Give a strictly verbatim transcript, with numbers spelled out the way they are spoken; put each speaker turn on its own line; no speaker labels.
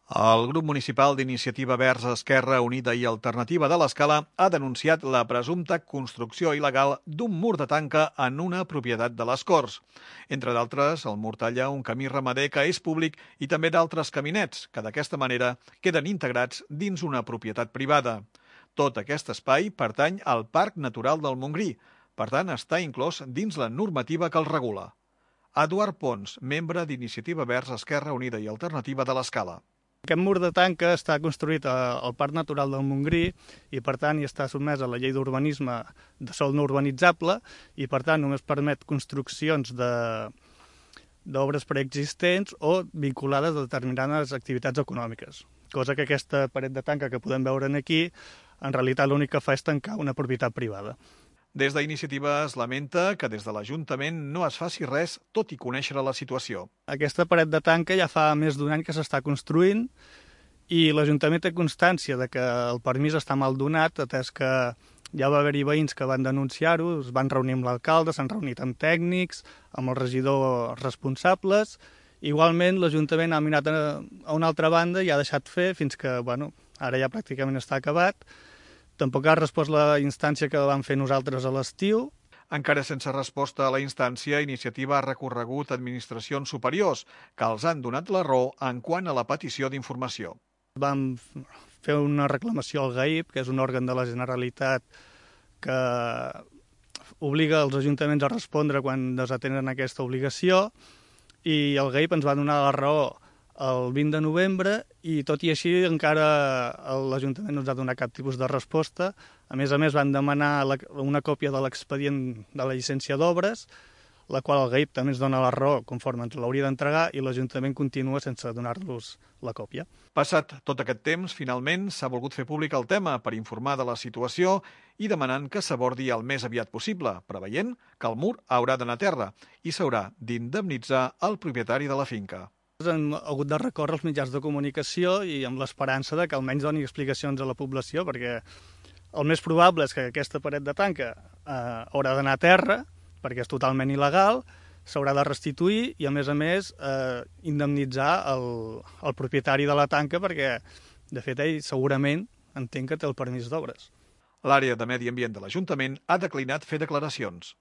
El grup municipal d'Iniciativa Verds Esquerra Unida i Alternativa de l'Escala ha denunciat la presumpta construcció il·legal d'un mur de tanca en una propietat de les Corts. Entre d'altres, el mur talla un camí ramader que és públic i també d'altres caminets, que d'aquesta manera queden integrats dins una propietat privada. Tot aquest espai pertany al Parc Natural del Montgrí, per tant està inclòs dins la normativa que el regula. Eduard Pons, membre d'Iniciativa Verds Esquerra Unida i Alternativa de l'Escala.
Aquest mur de tanca està construït al Parc Natural del Montgrí i, per tant, hi està sotmès a la llei d'urbanisme de sòl no urbanitzable i, per tant, només permet construccions d'obres preexistents o vinculades a determinades activitats econòmiques. Cosa que aquesta paret de tanca que podem veure aquí, en realitat l'únic que fa és tancar una propietat privada.
Des d'Iniciativa es lamenta que des de l'Ajuntament no es faci res, tot i conèixer la situació.
Aquesta paret de tanca ja fa més d'un any que s'està construint i l'Ajuntament té constància de que el permís està mal donat, atès que ja va haver-hi veïns que van denunciar-ho, es van reunir amb l'alcalde, s'han reunit amb tècnics, amb els regidors responsables. Igualment, l'Ajuntament ha mirat a una altra banda i ha deixat fer fins que, bueno, ara ja pràcticament està acabat. Tampoc ha respost la instància que vam fer nosaltres a l'estiu.
Encara sense resposta a la instància, Iniciativa ha recorregut a administracions superiors, que els han donat la raó en quant a la petició d'informació.
Vam fer una reclamació al G A I P, que és un òrgan de la Generalitat que obliga els ajuntaments a respondre quan desatenen aquesta obligació, i el G A I P ens va donar la raó el vint de novembre i, tot i així, encara l'Ajuntament no ens ha donat cap tipus de resposta. A més a més, van demanar una còpia de l'expedient de la llicència d'obres, la qual el G A I P també ens dona la raó conforme ens l'hauria d'entregar i l'Ajuntament continua sense donar-los la còpia.
Passat tot aquest temps, finalment s'ha volgut fer públic el tema per informar de la situació i demanant que s'abordi el més aviat possible, preveient que el mur haurà d'anar a terra i s'haurà d'indemnitzar el propietari de la finca.
Hem hagut de recórrer als mitjans de comunicació i amb l'esperança de que almenys doni explicacions a la població, perquè el més probable és que aquesta paret de tanca eh, haurà d'anar a terra, perquè és totalment il·legal, s'haurà de restituir i, a més a més, eh, indemnitzar el, el propietari de la tanca, perquè, de fet, ell segurament entén que té el permís d'obres.
L'àrea de Medi Ambient de l'Ajuntament ha declinat fer declaracions.